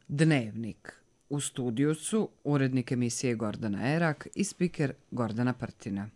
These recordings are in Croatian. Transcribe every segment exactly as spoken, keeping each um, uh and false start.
Dnevnik. U studiju su urednik emisije Gordana Erak i spiker Gordana Prtina.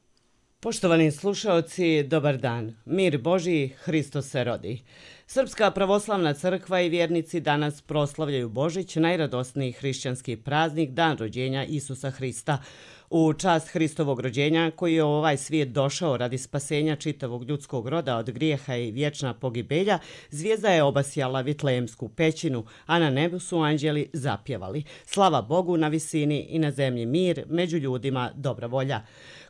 Poštovani slušaoci, dobar dan. Mir Božji, Hristos se rodi. Srpska pravoslavna crkva i vjernici danas proslavljaju Božić, najradosniji hrišćanski praznik, dan rođenja Isusa Hrista. U čast Hristovog rođenja, koji je u ovaj svijet došao radi spasenja čitavog ljudskog roda od grijeha i vječna pogibelja, zvijezda je obasjala Vitlejemsku pećinu, a na nebu su anđeli zapjevali. Slava Bogu na visini i na zemlji mir, među ljudima dobra volja.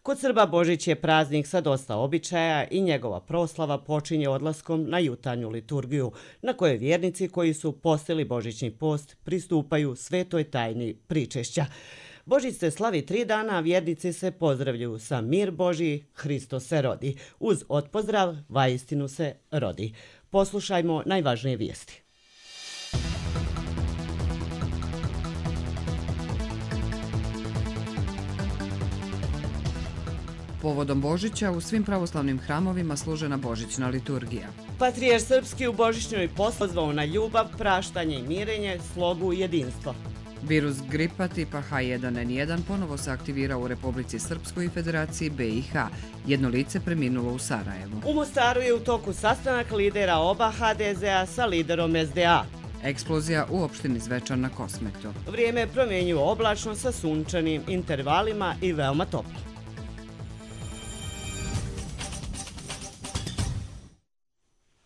Kod Srba Božić je praznik sa dosta običaja i njegova proslava počinje odlaskom na jutarnju liturgiju, na kojoj vjernici koji su postili Božićni post pristupaju svetoj tajni pričešća. Božić se slavi tri dana, a vjernici se pozdravljaju sa mir Božji, Hristos se rodi. Uz otpozdrav, vaistinu se rodi. Poslušajmo najvažnije vijesti. Povodom Božića u svim pravoslavnim hramovima služena božićna liturgija. Patrijarh srpski u božićnoj pozvao na ljubav, praštanje i mirenje, slogu i jedinstvo. Virus gripa tipa H jedan N jedan ponovo se aktivirao u Republici Srpskoj i Federaciji B i H. Jedno lice preminulo u Sarajevu. U Mostaru je u toku sastanak lidera oba H D Z-a sa liderom S D A. Eksplozija u opštini Zvečan na Kosmetu. Vrijeme promjenjuje oblačno sa sunčanim intervalima i veoma toplo.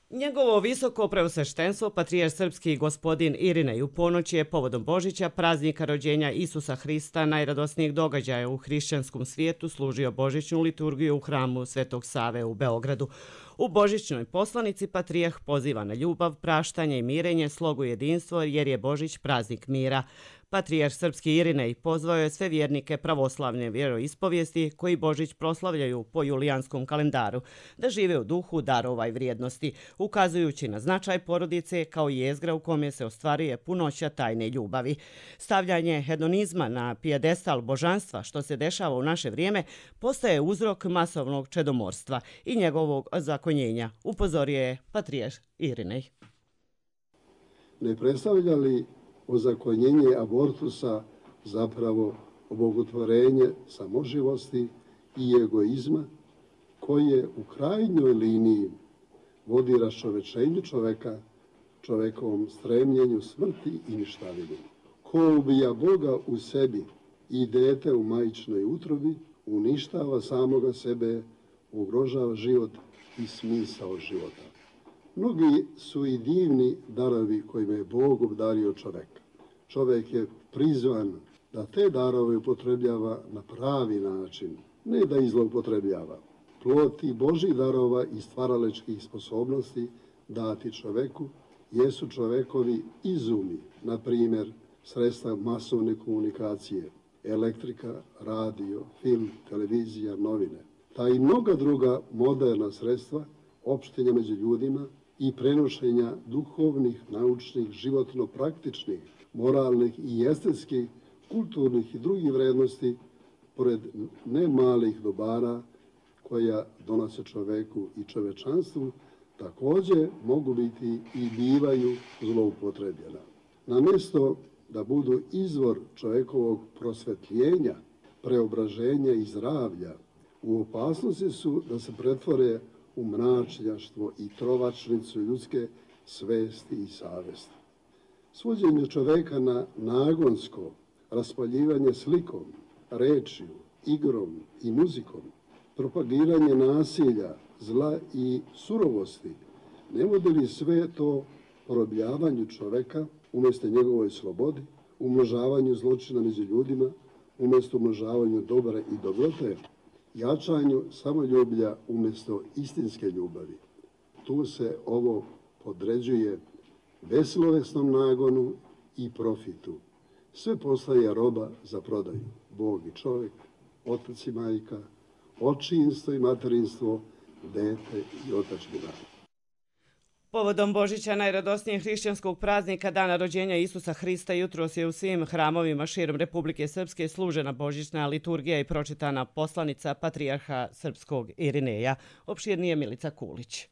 Njegovo visoko preosveštenstvo, patrijarh srpski gospodin Irinej, u ponoć je povodom Božića, praznika rođenja Isusa Hrista, najradosnijeg događaja u hrišćanskom svijetu, služio božićnu liturgiju u hramu Svetog Save u Beogradu. U božićnoj poslanici patrijarh poziva na ljubav, praštanje i mirenje, slogu i jedinstvo, jer je Božić praznik mira. Patrijarh srpski Irinej pozvao je sve vjernike pravoslavne vjeroispovijesti koji Božić proslavljaju po julijanskom kalendaru, da žive u duhu darova i vrijednosti, ukazujući na značaj porodice kao jezgra u kome se ostvaruje punoća tajne ljubavi. Stavljanje hedonizma na pijedestal božanstva, što se dešava u naše vrijeme, postaje uzrok masovnog čedomorstva i njegovog zakonjenja, upozorio je patrijarh Irinej. Ne predstavlja li ozakonjenje abortusa zapravo obogotvorenje samoživosti i egoizma koje u krajnjoj liniji vodi raščovečenju čoveka, čovekovom stremljenju smrti i ništavini. Ko ubija Boga u sebi i dete u majčinoj utrobi, uništava samoga sebe, ugrožava život i smisao života. Mnogi su i divni darovi kojima je Bog obdario čoveka. Čovek je prizvan da te darove upotrebljava na pravi način, ne da ih zloupotrebljava. Plod tih Božjih darova i stvaralačkih sposobnosti dati čoveku jesu čovekovi izumi, na primjer sredstva masovne komunikacije, elektrika, radio, film, televizija, novine. Ta i mnoga druga moderna sredstva opštenja među ljudima i prenošenja duhovnih, naučnih, životno-praktičnih, moralnih i estetskih, kulturnih i drugih vrednosti, pored ne malih dobara koja donose čoveku i čovečanstvu, također mogu biti i bivaju zloupotrebljena. Namjesto da budu izvor čovekovog prosvetljenja, preobraženja i zdravlja, u opasnosti su da se pretvore u mračnjaštvo i trovačnicu ljudske svesti i savesti. Svođenje čoveka na nagonsko raspaljivanje slikom, rečju, igrom i muzikom, propagiranje nasilja, zla i surovosti, ne vodi li sve to porobljavanju čoveka umjesto njegovoj slobodi, umnožavanju zločina među ljudima, umjesto umnožavanju dobra i dobrote, jačanju samoljublja umjesto istinske ljubavi. Tu se ovo podređuje beslovesnom nagonu i profitu. Sve postaje roba za prodaju. Bog i čovjek, otac i majka, očinstvo i materinstvo, dete i otačbina. Povodom Božića, najradosnijeg hrišćanskog praznika, dana rođenja Isusa Hrista, jutros je u svim hramovima širom Republike Srpske služena božićna liturgija i pročitana poslanica patrijarha srpskog Irineja. Opširnije Milica Kulić.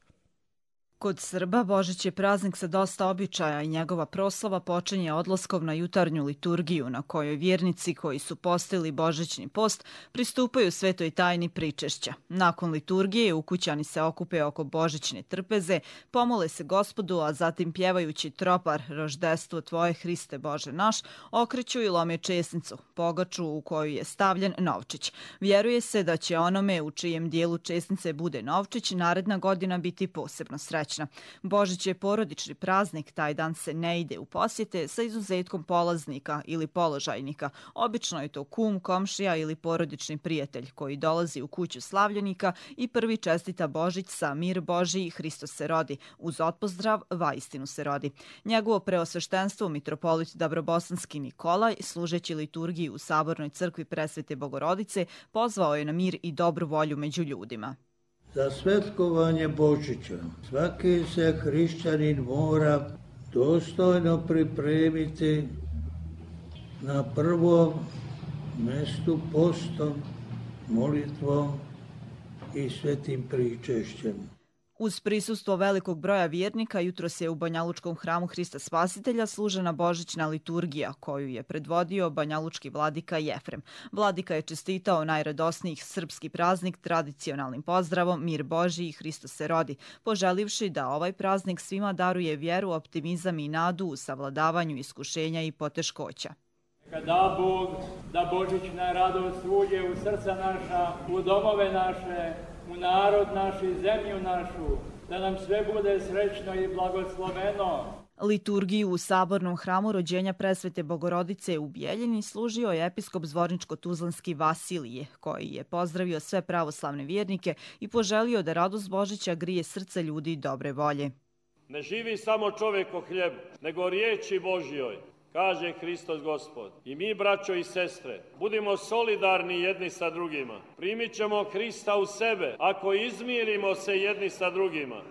Kod Srba Božić je praznik sa dosta običaja i njegova proslava počinje odlaskom na jutarnju liturgiju na kojoj vjernici koji su postili božićni post pristupaju svetoj tajni pričešća. Nakon liturgije ukućani se okupe oko božićne trpeze, pomole se Gospodu, a zatim pjevajući tropar Roždestvo tvoje Hriste Bože naš, okreću i lome česnicu, pogaču u koju je stavljen novčić. Vjeruje se da će onome u čijem dijelu česnice bude novčić naredna godina biti posebno srećna. Božić je porodični praznik, taj dan se ne ide u posjete sa izuzetkom polaznika ili položajnika. Obično je to kum, komšija ili porodični prijatelj koji dolazi u kuću slavljenika i prvi čestita Božić sa mir Božiji, Hristos se rodi, uz otpozdrav vaistinu se rodi. Njegovo preosveštenstvo mitropolit Dabrobosanski Nikolaj, služeći liturgiju u Sabornoj crkvi Presvete Bogorodice, pozvao je na mir i dobru volju među ljudima. Za svetkovanje Božića svaki se hrišćanin mora dostojno pripremiti na prvom mestu postom, molitvom i svetim pričešćem. Uz prisustvo velikog broja vjernika, jutros je u Banjalučkom hramu Hrista Spasitelja služena božićna liturgija, koju je predvodio banjalučki vladika Jefrem. Vladika je čestitao najradosnijih srpski praznik tradicionalnim pozdravom Mir Božiji, Hristos se rodi, poželivši da ovaj praznik svima daruje vjeru, optimizam i nadu u savladavanju iskušenja i poteškoća. Da Bog, da božićna radost uđe u srca naša, u domove naše, u narod naš i zemlju našu, da nam sve bude srećno i blagosloveno. Liturgiju u Sabornom hramu rođenja Presvete Bogorodice u Bijeljini služio je episkop Zvorničko-Tuzlanski Vasilije, koji je pozdravio sve pravoslavne vjernike i poželio da radost Božića grije srce ljudi dobre volje. Ne živi samo čovjek o hljebu, nego riječi Božjoj, kaže Hristos Gospod. I mi, braćo i sestre, budimo solidarni jedni sa drugima. Primit ćemo Hrista u sebe ako izmirimo se jedni sa drugima.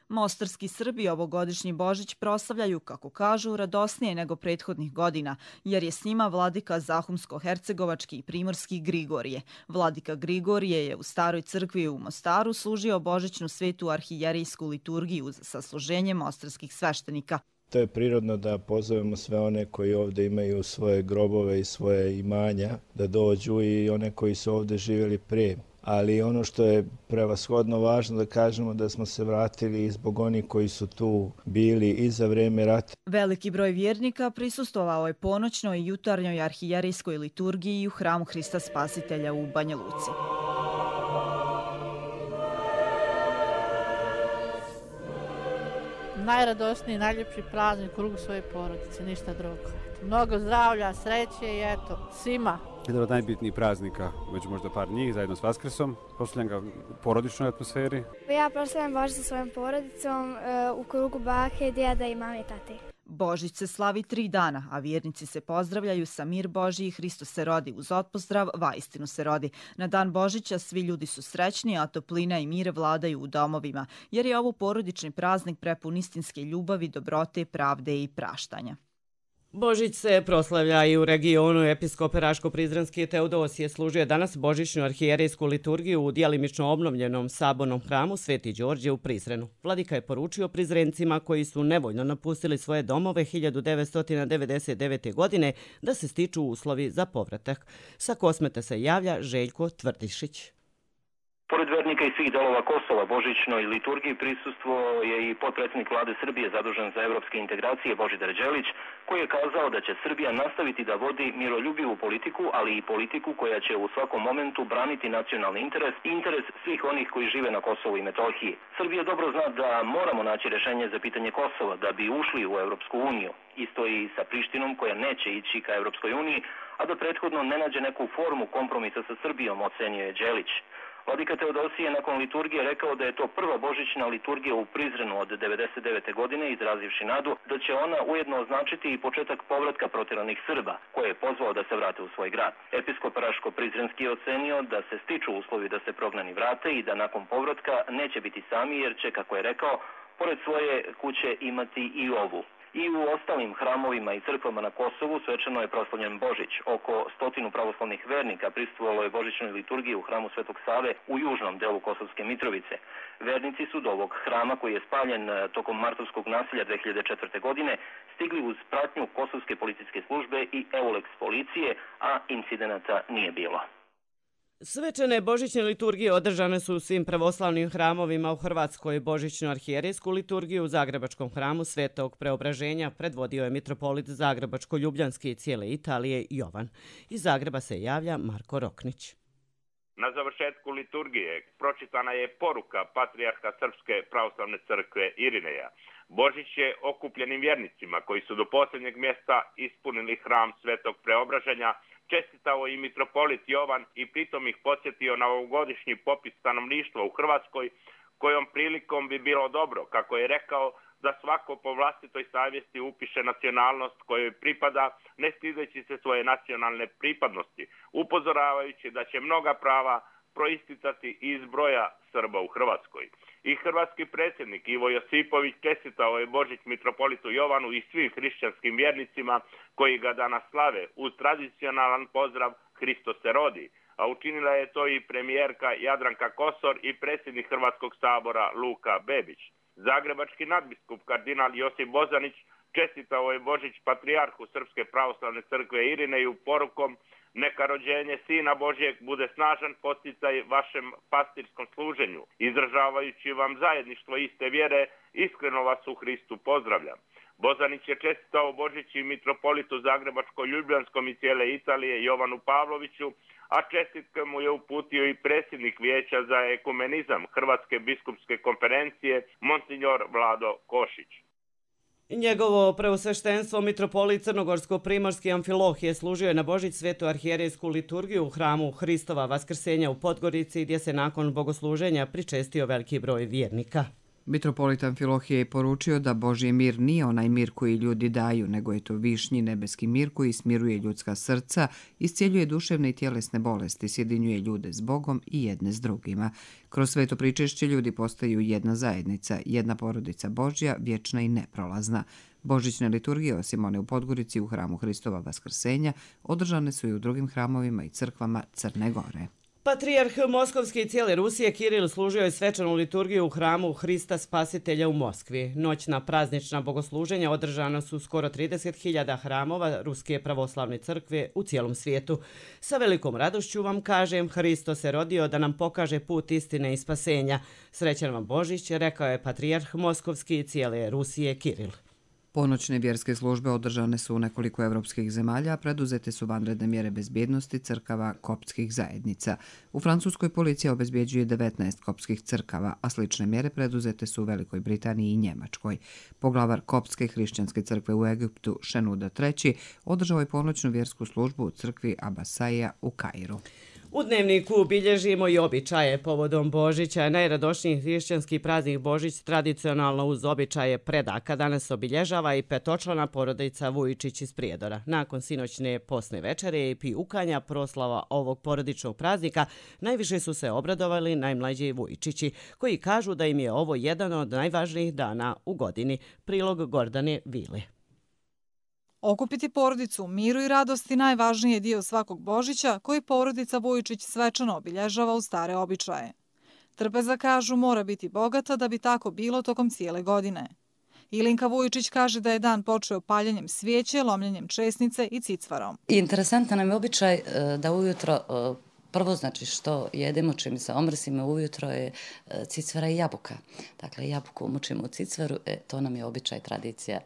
Mostarski Srbi ovogodišnji Božić proslavljaju, kako kažu, radosnije nego prethodnih godina, jer je s njima vladika Zahumsko-hercegovački i primorski Grigorije. Vladika Grigorije je u staroj crkvi u Mostaru služio božićnu svetu arhijerijsku liturgiju sa služenjem mostarskih sveštenika. To je prirodno da pozovemo sve one koji ovdje imaju svoje grobove i svoje imanja da dođu i one koji su ovdje živjeli prije. Ali ono što je prevashodno važno da kažemo da smo se vratili zbog onih koji su tu bili i za vrijeme rata. Veliki broj vjernika prisustvovao je ponoćnoj i jutarnjoj arhijerijskoj liturgiji u hramu Hrista Spasitelja u Banja Luci. Najradosniji, najljepši praznik u krugu svoje porodice, ništa drugo. Mnogo zdravlja, sreće i eto, svima. Jedan od najbitnijih praznika, među možda par njih, zajedno s Vaskrsom. Proslavljam ga u porodičnoj atmosferi. Ja proslavljam Božić sa svojom porodicom u krugu bake, djeda i mame i tate. Božić se slavi tri dana, a vjernici se pozdravljaju sa mir Božiji, Hristos se rodi, uz otpozdrav vaistinu se rodi. Na dan Božića svi ljudi su srećni, a toplina i mir vladaju u domovima, jer je ovo porodični praznik prepun istinske ljubavi, dobrote, pravde i praštanja. Božić se proslavlja i u regionu. Episkop Raško-Prizrenski Teodosije služio danas božićnu arhijerijsku liturgiju u djelimično obnovljenom Sabornom hramu Sveti Đorđe u Prizrenu. Vladika je poručio Prizrencima koji su nevoljno napustili svoje domove hiljadu devetsto devedeset devete. godine da se stiču uslovi za povratak. Sa Kosmeta se javlja Željko Tvrdišić. Pored vernika i svih delova Kosova, božićnoj liturgiji prisustvo je i potpredsjednik vlade Srbije zadužen za evropske integracije Božidar Đelić, koji je kazao da će Srbija nastaviti da vodi miroljubivu politiku, ali i politiku koja će u svakom momentu braniti nacionalni interes i interes svih onih koji žive na Kosovu i Metohiji. Srbija dobro zna da moramo naći rješenje za pitanje Kosova da bi ušli u Evropsku uniju. Isto i sa Prištinom koja neće ići ka Evropskoj uniji, a da prethodno ne nađe neku formu kompromisa sa Srbijom, ocenjuje Đelić. Vladika Teodosije nakon liturgije rekao da je to prva božićna liturgija u Prizrenu od devedeset devete. godine, izrazivši nadu da će ona ujedno označiti i početak povratka protjeranih Srba, koje je pozvao da se vrate u svoj grad. Episkop Raško-Prizrenski je ocenio da se stiču uslovi da se prognani vrate i da nakon povratka neće biti sami, jer će, kako je rekao, pored svoje kuće imati i ovu. I u ostalim hramovima i crkvama na Kosovu svečano je proslavljen Božić. Oko stotinu pravoslavnih vernika prisustvovalo je božićnoj liturgiji u hramu Svetog Save u južnom delu Kosovske Mitrovice. Vernici su do ovog hrama, koji je spaljen tokom martovskog nasilja dve hiljade četvrte. godine, stigli uz pratnju Kosovske policijske službe i Euleks policije, a incidenata nije bilo. Svečane božićne liturgije održane su u svim pravoslavnim hramovima u Hrvatskoj. Božićnu arhijerejsku liturgiju u Zagrebačkom hramu Svetog Preobraženja predvodio je mitropolit Zagrebačko-Ljubljanski i cijele Italije Jovan. Iz Zagreba se javlja Marko Roknić. Na završetku liturgije pročitana je poruka patrijarha Srpske pravoslavne crkve Irineja. Božić je okupljenim vjernicima koji su do posljednjeg mjesta ispunili hram Svetog Preobraženja čestitao i mitropolit Jovan i pritom ih podsjetio na ovogodišnji popis stanovništva u Hrvatskoj, kojom prilikom bi bilo dobro, kako je rekao, da svako po vlastitoj savjesti upiše nacionalnost kojoj pripada, ne stideći se svoje nacionalne pripadnosti, upozoravajući da će mnoga prava proisticati iz broja Srba u Hrvatskoj. I hrvatski predsjednik Ivo Josipović čestitao je Božić mitropolitu Jovanu i svim hrišćanskim vjernicima koji ga danas slave uz tradicionalan pozdrav Hristos se rodi, a učinila je to i premijerka Jadranka Kosor i predsjednik Hrvatskog sabora Luka Bebić. Zagrebački nadbiskup kardinal Josip Bozanić čestitao je Božić patrijarhu Srpske pravoslavne crkve Irineju porukom: neka rođenje Sina Božjeg bude snažan podsticaj vašem pastirskom služenju. Izražavajući vam zajedništvo iste vjere, iskreno vas u Hristu pozdravljam. Bozanić je čestitao Božić i mitropolitu Zagrebačko-Ljubljanskom i cijele Italije Jovanu Pavloviću, a čestitke mu je uputio i predsjednik Vijeća za ekumenizam Hrvatske biskupske konferencije, monsignor Vlado Košić. Njegovo preosveštenstvo mitropolit Crnogorsko-primorski Amfilohije služio je na Božić svetu arhijerejsku liturgiju u hramu Hristova Vaskrsenja u Podgorici, gdje se nakon bogosluženja pričestio veliki broj vjernika. Mitropolit Amfilohije je poručio da Božji mir nije onaj mir koji ljudi daju, nego je to višnji nebeski mir koji smiruje ljudska srca, iscijeljuje duševne i tjelesne bolesti, sjedinjuje ljude s Bogom i jedne s drugima. Kroz sveto pričešće ljudi postaju jedna zajednica, jedna porodica Božja, vječna i neprolazna. Božićne liturgije, osim one u Podgorici u hramu Hristova Vaskrsenja, održane su i u drugim hramovima i crkvama Crne Gore. Patrijarh Moskovske i cijele Rusije Kiril služio je svečanu liturgiju u hramu Hrista Spasitelja u Moskvi. Noćna praznična bogosluženja održana su skoro trideset hiljada hramova Ruske pravoslavne crkve u cijelom svijetu. Sa velikom radošću vam kažem, Hristos se rodio da nam pokaže put istine i spasenja. Srećan vam Božić, rekao je patrijarh Moskovski i cijele Rusije Kiril. Ponoćne vjerske službe održane su u nekoliko evropskih zemalja, a preduzete su vanredne mjere bezbjednosti crkava koptskih zajednica. U Francuskoj policija obezbjeđuje devetnaest koptskih crkava, a slične mjere preduzete su u Velikoj Britaniji i Njemačkoj. Poglavar koptske hrišćanske crkve u Egiptu Šenuda treći održao je ponoćnu vjersku službu u crkvi Abasaja u Kairu. U dnevniku bilježimo i običaje povodom Božića. Najradošniji hrišćanski praznik Božić tradicionalno uz običaje predaka danas obilježava i petočlana porodica Vujičić iz Prijedora. Nakon sinoćne posne večere i pijukanja proslava ovog porodičnog praznika najviše su se obradovali najmlađi Vujičići, koji kažu da im je ovo jedan od najvažnijih dana u godini. Prilog Gordane Vile. Okupiti porodicu u miru i radosti najvažniji je dio svakog Božića koji porodica Vujičić svečano obilježava u stare običaje. Trpeza, kažu, mora biti bogata da bi tako bilo tokom cijele godine. Ilinka Vujičić kaže da je dan počeo paljenjem svijeće, lomljenjem česnice i cicvarom. Interesantan nam je običaj da ujutro prvo, znači što jedemo, čim se omrsimo ujutro je cicvara i jabuka. Dakle, jabuku umučimo u cicvaru, e, to nam je običaj, tradicija,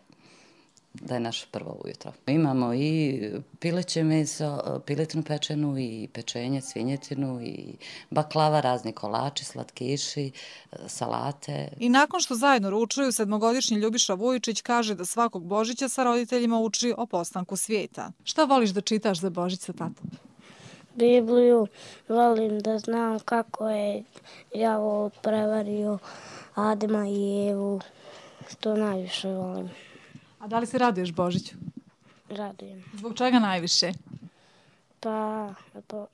da je naše prvo ujutro. Imamo i pileće meso, piletnu pečenu i pečenje, svinjetinu i baklava, razni kolači, slatkiši, salate. I nakon što zajedno ručuju, sedmogodišnji Ljubiša Vujičić kaže da svakog Božića sa roditeljima uči o postanku svijeta. Šta voliš da čitaš za Božić sa tatom? Bibliju, volim da znam kako je đavo prevario Adama i Evu, što najviše volim. A da li se raduješ Božiću? Radujem. Zbog čega najviše? Pa,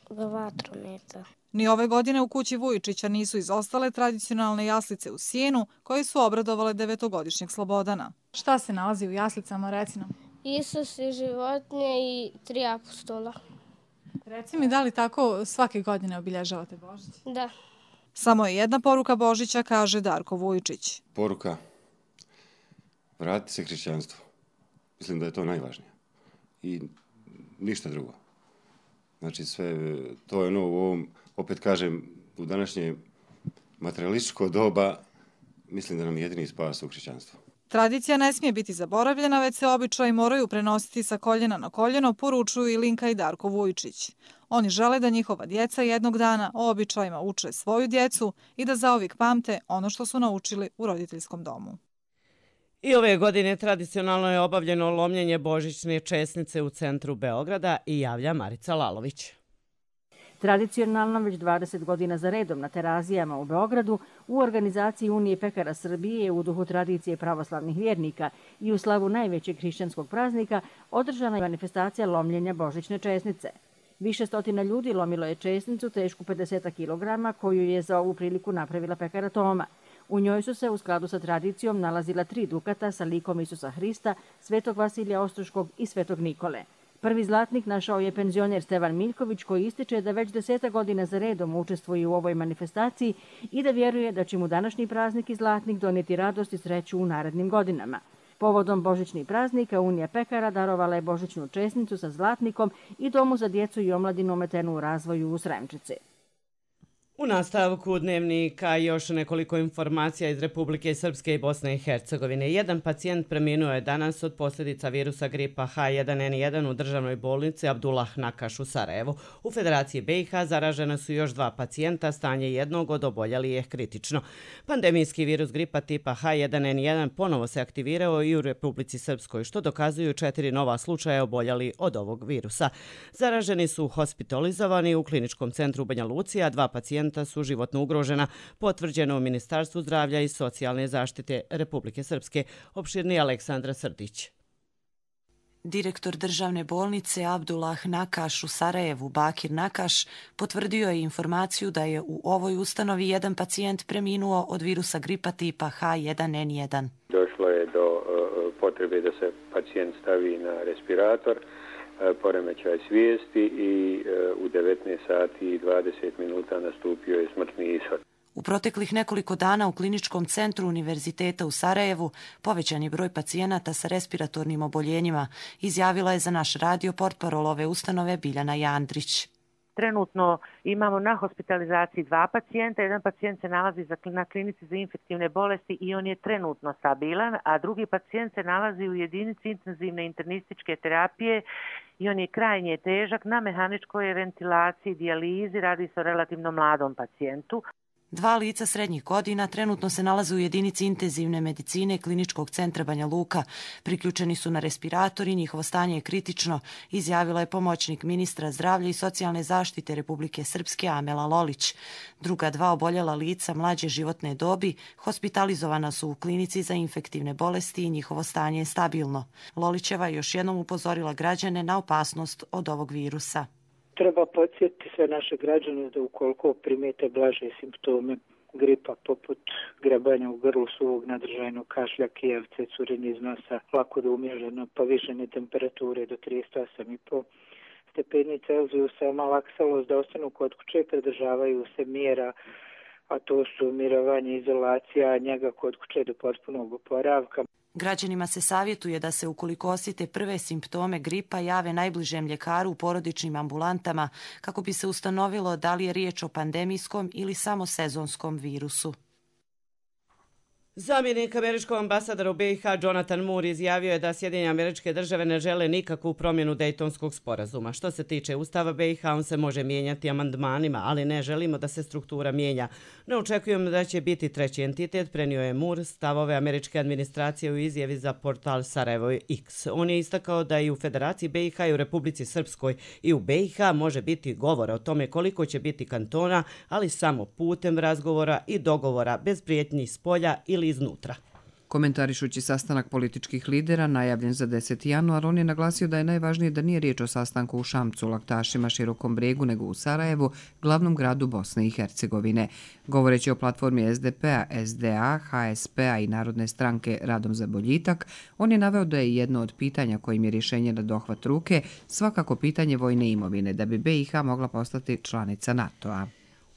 do vatrometa. Ni ove godine u kući Vujičića nisu izostale tradicionalne jaslice u sjenu koje su obradovale devetogodišnjeg Slobodana. Šta se nalazi u jaslicama, reci nam? Isus i životinje i tri apostola. Reci mi, da li tako svake godine obilježavate Božić? Da. Samo je jedna poruka Božića, kaže Darko Vujičić. Poruka, vratiti se hrišćanstvu. Mislim da je to najvažnije. I ništa drugo. Znači sve, to je ono u ovom, opet kažem, u današnje materialističko doba, mislim da nam je jedini spas u hrišćanstvu. Tradicija ne smije biti zaboravljena, već se običaji moraju prenositi sa koljena na koljeno, poručuju i Linka i Darko Vujičić. Oni žele da njihova djeca jednog dana o običajima uče svoju djecu i da zauvijek pamte ono što su naučili u roditeljskom domu. I ove godine tradicionalno je obavljeno lomljenje božićne česnice u centru Beograda i javlja Marica Lalović. Tradicionalno već dvadeset godina za redom na Terazijama u Beogradu u organizaciji Unije pekara Srbije u duhu tradicije pravoslavnih vjernika i u slavu najvećeg hrišćanskog praznika održana je manifestacija lomljenja božićne česnice. Više stotina ljudi lomilo je česnicu tešku pedeset kilograma koju je za ovu priliku napravila pekara Toma. U njoj su se u skladu sa tradicijom nalazila tri dukata sa likom Isusa Hrista, Svetog Vasilija Ostroškog i Svetog Nikole. Prvi zlatnik našao je penzioner Stevan Miljković koji ističe da već deseta godina za redom učestvuje u ovoj manifestaciji i da vjeruje da će mu današnji praznik i zlatnik donijeti radost i sreću u narednim godinama. Povodom božićnih praznika Unija pekara darovala je božićnu česnicu sa zlatnikom i Domu za djecu i omladinu ometenu u razvoju u Sremčici. U nastavku dnevnika još nekoliko informacija iz Republike Srpske i Bosne i Hercegovine. Jedan pacijent preminuo je danas od posljedica virusa gripa H jedan N jedan u državnoj bolnici Abdullah Nakaš u Sarajevu. U Federaciji B i H zaražena su još dva pacijenta, stanje jednog od oboljelih je kritično. Pandemijski virus gripa tipa H jedan N jedan ponovo se aktivirao i u Republici Srpskoj, što dokazuju četiri nova slučaja oboljeli od ovog virusa. Zaraženi su hospitalizovani u kliničkom centru u Banja Luci, a dva pacijenta su životno ugrožena, potvrđeno u Ministarstvu zdravlja i socijalne zaštite Republike Srpske. Opširni Aleksandra Srdić. Direktor državne bolnice Abdullah Nakaš u Sarajevu, Bakir Nakaš, potvrdio je informaciju da je u ovoj ustanovi jedan pacijent preminuo od virusa gripa tipa H jedan N jedan. Došlo je do uh, potrebe da se pacijent stavi na respirator, poremećaj svijesti i u devetnaest sati i dvadeset minuta nastupio je smrtni ishod. U proteklih nekoliko dana u kliničkom centru Univerziteta u Sarajevu povećan je broj pacijenata sa respiratornim oboljenjima, izjavila je za naš radio portparol ove ustanove Biljana Jandrić. Trenutno imamo na hospitalizaciji dva pacijenta. Jedan pacijent se nalazi na klinici za infektivne bolesti i on je trenutno stabilan, a drugi pacijent se nalazi u jedinici intenzivne internističke terapije i on je krajnje težak na mehaničkoj ventilaciji, dijalizi, radi se o relativno mladom pacijentu. Dva lica srednjih godina trenutno se nalaze u jedinici intenzivne medicine Kliničkog centra Banja Luka. Priključeni su na respirator i njihovo stanje je kritično, izjavila je pomoćnik ministra zdravlja i socijalne zaštite Republike Srpske Amela Lolić. Druga dva oboljela lica mlađe životne dobi hospitalizovana su u klinici za infektivne bolesti i njihovo stanje je stabilno. Lolićeva je još jednom upozorila građane na opasnost od ovog virusa. Treba podsjetiti sve naše građane da ukoliko primijete blaže simptome gripa poput grebanja u grlu, suvog nadržajnog kašlja, kijevce, curenje iz nosa, lako da umježeno, povišene temperature do trideset osam i pet stepeni Celzijusa, malaksalost da ostanu kod kuće i pridržavaju se mjera, a to su mirovanje, izolacija, njega kod kuće do potpunog oporavka. Građanima se savjetuje da se ukoliko osjete prve simptome gripa jave najbližem ljekaru u porodičnim ambulantama kako bi se ustanovilo da li je riječ o pandemijskom ili samo sezonskom virusu. Zamjenik američkog ambasadora u B i H Jonathan Moore izjavio je da Sjedinjene Američke Države ne žele nikakvu promjenu Dejtonskog sporazuma. Što se tiče Ustava B i H, on se može mijenjati amandmanima, ali ne želimo da se struktura mijenja. Ne očekujemo da će biti treći entitet, prenio je Moore stavove američke administracije u izjavi za portal Sarajevo X. On je istakao da i u Federaciji B i H i u Republici Srpskoj i u B i H može biti govora o tome koliko će biti kantona, ali samo putem razgovora i dogovora bez prijetnji s polja ili iznutra. Komentarišući sastanak političkih lidera najavljen za deseti januar, on je naglasio da je najvažnije da nije riječ o sastanku u Šamcu, Laktašima, Širokom Brijegu, nego u Sarajevu, glavnom gradu Bosne i Hercegovine. Govoreći o platformi es de pe-a, es de a, ha es pe-a i Narodne stranke Radom za boljitak, on je naveo da je jedno od pitanja kojim je rješenje na dohvat ruke svakako pitanje vojne imovine, da bi be i ha mogla postati članica NATO-a.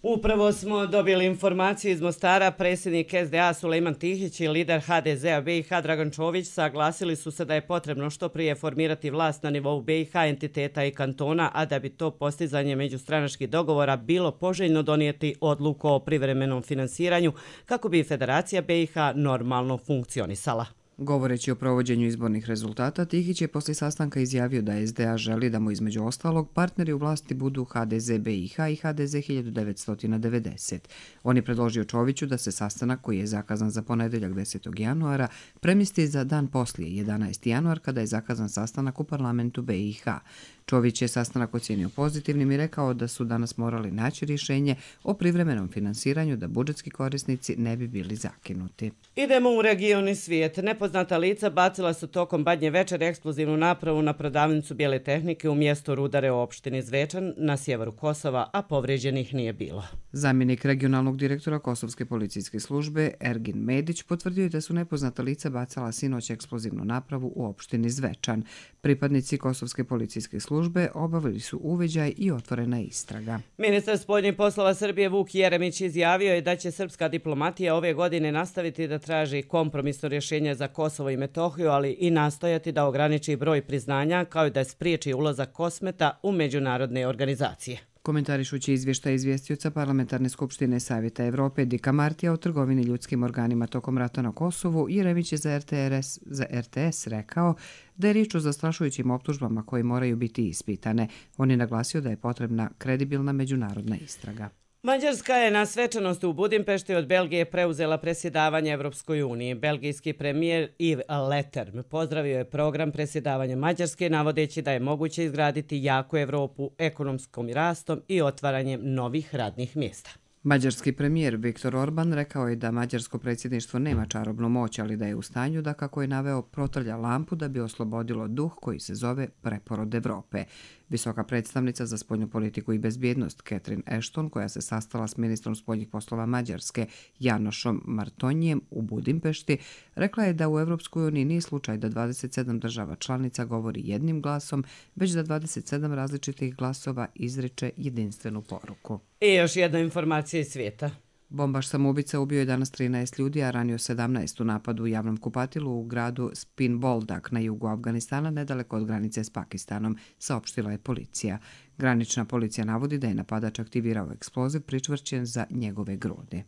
Upravo smo dobili informaciju iz Mostara. Predsjednik es de a Sulejman Tihić i lider ha de zea be i ha Dragan Čović saglasili su se da je potrebno što prije formirati vlast na nivou be i ha entiteta i kantona, a da bi to postizanje međustranačkih dogovora bilo poželjno donijeti odluku o privremenom finansiranju kako bi Federacija be i ha normalno funkcionisala. Govoreći o provođenju izbornih rezultata, Tihić je poslije sastanka izjavio da es de a želi da mu između ostalog partneri u vlasti budu ha de ze be i ha i ha de ze hiljadu devetsto devedeset. On je predložio Čoviću da se sastanak koji je zakazan za ponedeljak desetog januara premjesti za dan poslije, jedanaesti januar, kada je zakazan sastanak u parlamentu be i ha. Čović je sastanak ocijenio pozitivnim i rekao da su danas morali naći rješenje o privremenom finansiranju da budžetski korisnici ne bi bili zakinuti. Idemo u region i svijet. Nepoznata lica bacila su tokom Badnje večere eksplozivnu napravu na prodavnicu bijele tehnike u mjestu Rudare u opštini Zvečan na sjeveru Kosova, a povrijeđenih nije bilo. Zamjenik regionalnog direktora Kosovske policijske službe Ergin Medić potvrdio je da su nepoznata lica bacala sinoć eksplozivnu napravu u opštini Zvečan. Pripadnici Kosovske policijske službe obavili su uviđaj i otvorena istraga. Ministar spoljnih poslova Srbije Vuk Jeremić izjavio je da će srpska diplomatija ove godine nastaviti da traži kompromisno rješenje za Kosovo i Metohiju, ali i nastojati da ograniči broj priznanja kao i da spriječi ulazak Kosmeta u međunarodne organizacije. Komentarišući izvještaj izvjestioca Parlamentarne skupštine Savjeta Evrope Dika Martija o trgovini ljudskim organima tokom rata na Kosovu, Jeremić je za er te es, za er te es rekao da je riječ o zastrašujućim optužbama koje moraju biti ispitane. On je naglasio da je potrebna kredibilna međunarodna istraga. Mađarska je na svečanosti u Budimpešti od Belgije preuzela predsjedavanje Evropskoj uniji. Belgijski premijer Yves Leterme pozdravio je program predsjedavanja Mađarske, navodeći da je moguće izgraditi jaku Evropu ekonomskom rastom i otvaranjem novih radnih mjesta. Mađarski premijer Viktor Orban rekao je da mađarsko predsjedništvo nema čarobnu moć, ali da je u stanju da, kako je naveo, protrlja lampu da bi oslobodilo duh koji se zove preporod Evrope. Visoka predstavnica za spoljnu politiku i bezbjednost Catherine Ashton, koja se sastala s ministrom spoljnih poslova Mađarske Janošom Martonjijem u Budimpešti, rekla je da u Evropskoj uniji nije slučaj da dvadeset sedam država članica govori jednim glasom, već da dvadeset sedam različitih glasova izriče jedinstvenu poruku. I još jedna informacija iz svijeta. Bombaš samoubica ubio je danas trinaest ljudi, a ranio sedamnaest u napadu u javnom kupatilu u gradu Spin Boldak na jugu Afganistana, nedaleko od granice s Pakistanom, saopštila je policija. Granična policija navodi da je napadač aktivirao eksploziv pričvršćen za njegove grudi.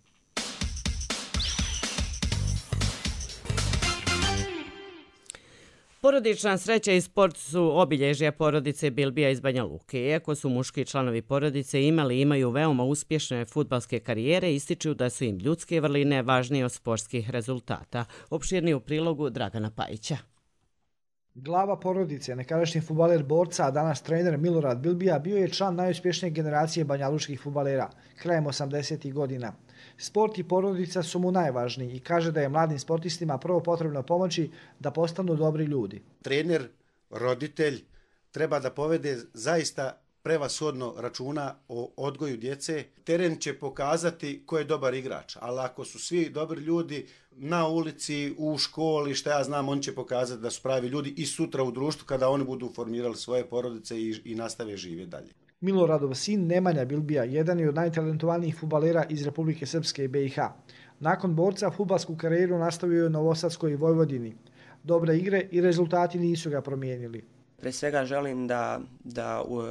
Porodična sreća i sport su obilježja porodice Bilbija iz Banja Luke. Iako su muški članovi porodice imali i imaju veoma uspješne fudbalske karijere, ističu da su im ljudske vrline važnije od sportskih rezultata. Opširnije u prilogu Dragana Pajića. Glava porodice, nekadašnji fudbaler borca, a danas trener Milorad Bilbija, bio je član najuspješnije generacije banjalučkih fudbalera, krajem osamdesetih godina. Sport i porodica su mu najvažniji i kaže da je mladim sportistima prvo potrebno pomoći da postanu dobri ljudi. Trener, roditelj treba da povede zaista prevashodno računa o odgoju djece. Teren će pokazati ko je dobar igrač, ali ako su svi dobri ljudi na ulici, u školi, šta ja znam, on će pokazati da su pravi ljudi i sutra u društvu kada oni budu formirali svoje porodice i, i nastave živjeti dalje. Miloradov sin Nemanja Bilbija jedan je od najtalentovanijih fudbalera iz Republike Srpske i be i ha. Nakon borca fudbalsku karijeru nastavio je u Novosadskoj i Vojvodini. Dobre igre i rezultati nisu ga promijenili. Pre svega želim da, da uh,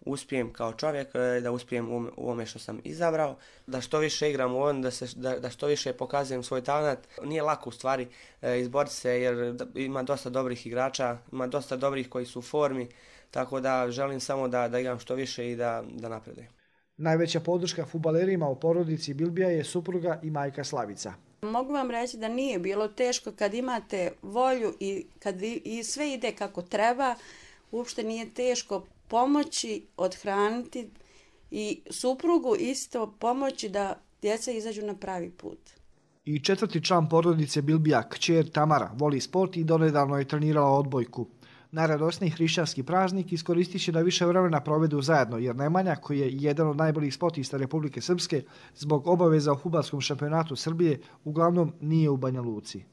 uspijem kao čovjek, da uspijem u, u ome što sam izabrao, da što više igram u ovom, da, se, da, da što više pokazujem svoj talent. Nije lako u stvari uh, izboriti se jer ima dosta dobrih igrača, ima dosta dobrih koji su u formi, tako da želim samo da, da igram što više i da, da napredujem. Najveća podrška fudbalerima u porodici Bilbija je supruga i majka Slavica. Mogu vam reći da nije bilo teško kad imate volju i kad vi, i sve ide kako treba, uopšte nije teško pomoći, odhraniti i suprugu isto pomoći da djeca izađu na pravi put. I četvrti član porodice Bilbija, kćer Tamara, voli sport i donedavno je trenirala odbojku. Najradosniji hrišćanski praznik iskoristit će da više vremena provedu zajedno, jer Nemanja, koji je jedan od najboljih sportista Republike Srpske, zbog obaveza u fudbalskom šampionatu Srbije, uglavnom nije u Banja Luci.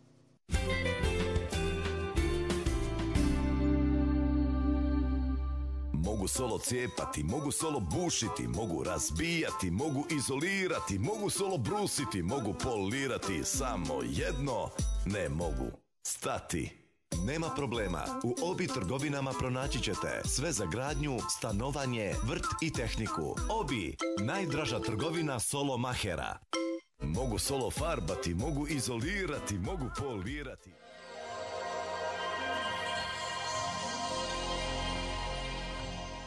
Mogu solo cijepati, mogu solo bušiti, mogu razbijati, mogu izolirati, mogu solo brusiti, mogu polirati, samo jedno ne mogu stati. Nema problema, u Obi trgovinama pronaći ćete sve za gradnju, stanovanje, vrt i tehniku. Obi, najdraža trgovina solo mahera. Mogu solo farbati, mogu izolirati, mogu polirati.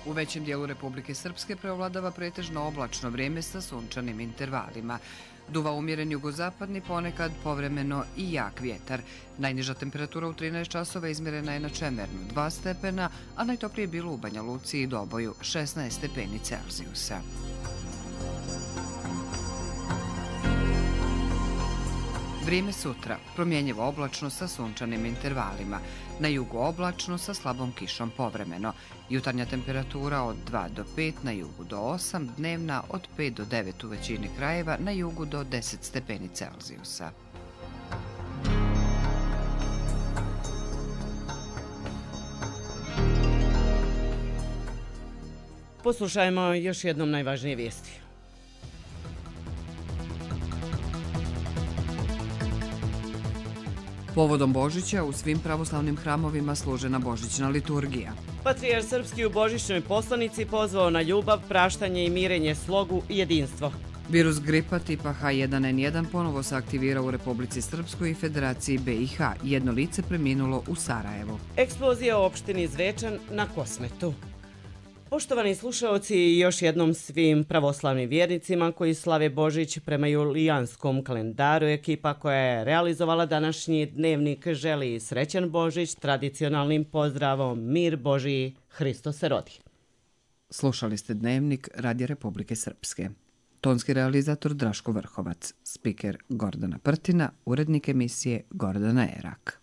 U većem dijelu Republike Srpske preovladava pretežno oblačno vrijeme sa sunčanim intervalima. Duva umjeren jugozapadni, ponekad povremeno i jak vjetar. Najniža temperatura u trinaest časova izmjerena je na Čemernu dva stepena, a najtoplije bilo u Banja Luci i Doboju šesnaest stepeni Celzijusa. Vrijeme sutra, promjenjivo oblačno sa sunčanim intervalima. Na jugu oblačno sa slabom kišom povremeno. Jutarnja temperatura od dva do pet, na jugu do osam, dnevna od pet do devet u većini krajeva, na jugu do deset stepeni Celzijusa. Poslušajmo još jednom najvažnije vijesti. Povodom Božića u svim pravoslavnim hramovima služena božićna liturgija. Patrijarh srpski u božićnoj poslanici pozvao na ljubav, praštanje i mirenje, slogu i jedinstvo. Virus gripa tipa H jedan N jedan ponovo se aktivirao u Republici Srpskoj i Federaciji B i H. Jedno lice preminulo u Sarajevu. Eksplozija u opštini Zvečan na Kosmetu. Poštovani slušaoci, još jednom svim pravoslavnim vjernicima koji slave Božić prema julijanskom kalendaru, ekipa koja je realizovala današnji dnevnik želi srećan Božić tradicionalnim pozdravom Mir Božiji, Hristos se rodi. Slušali ste dnevnik Radija Republike Srpske. Tonski realizator Draško Vrhovac, spiker Gordana Prtina, urednik emisije Gordana Erak.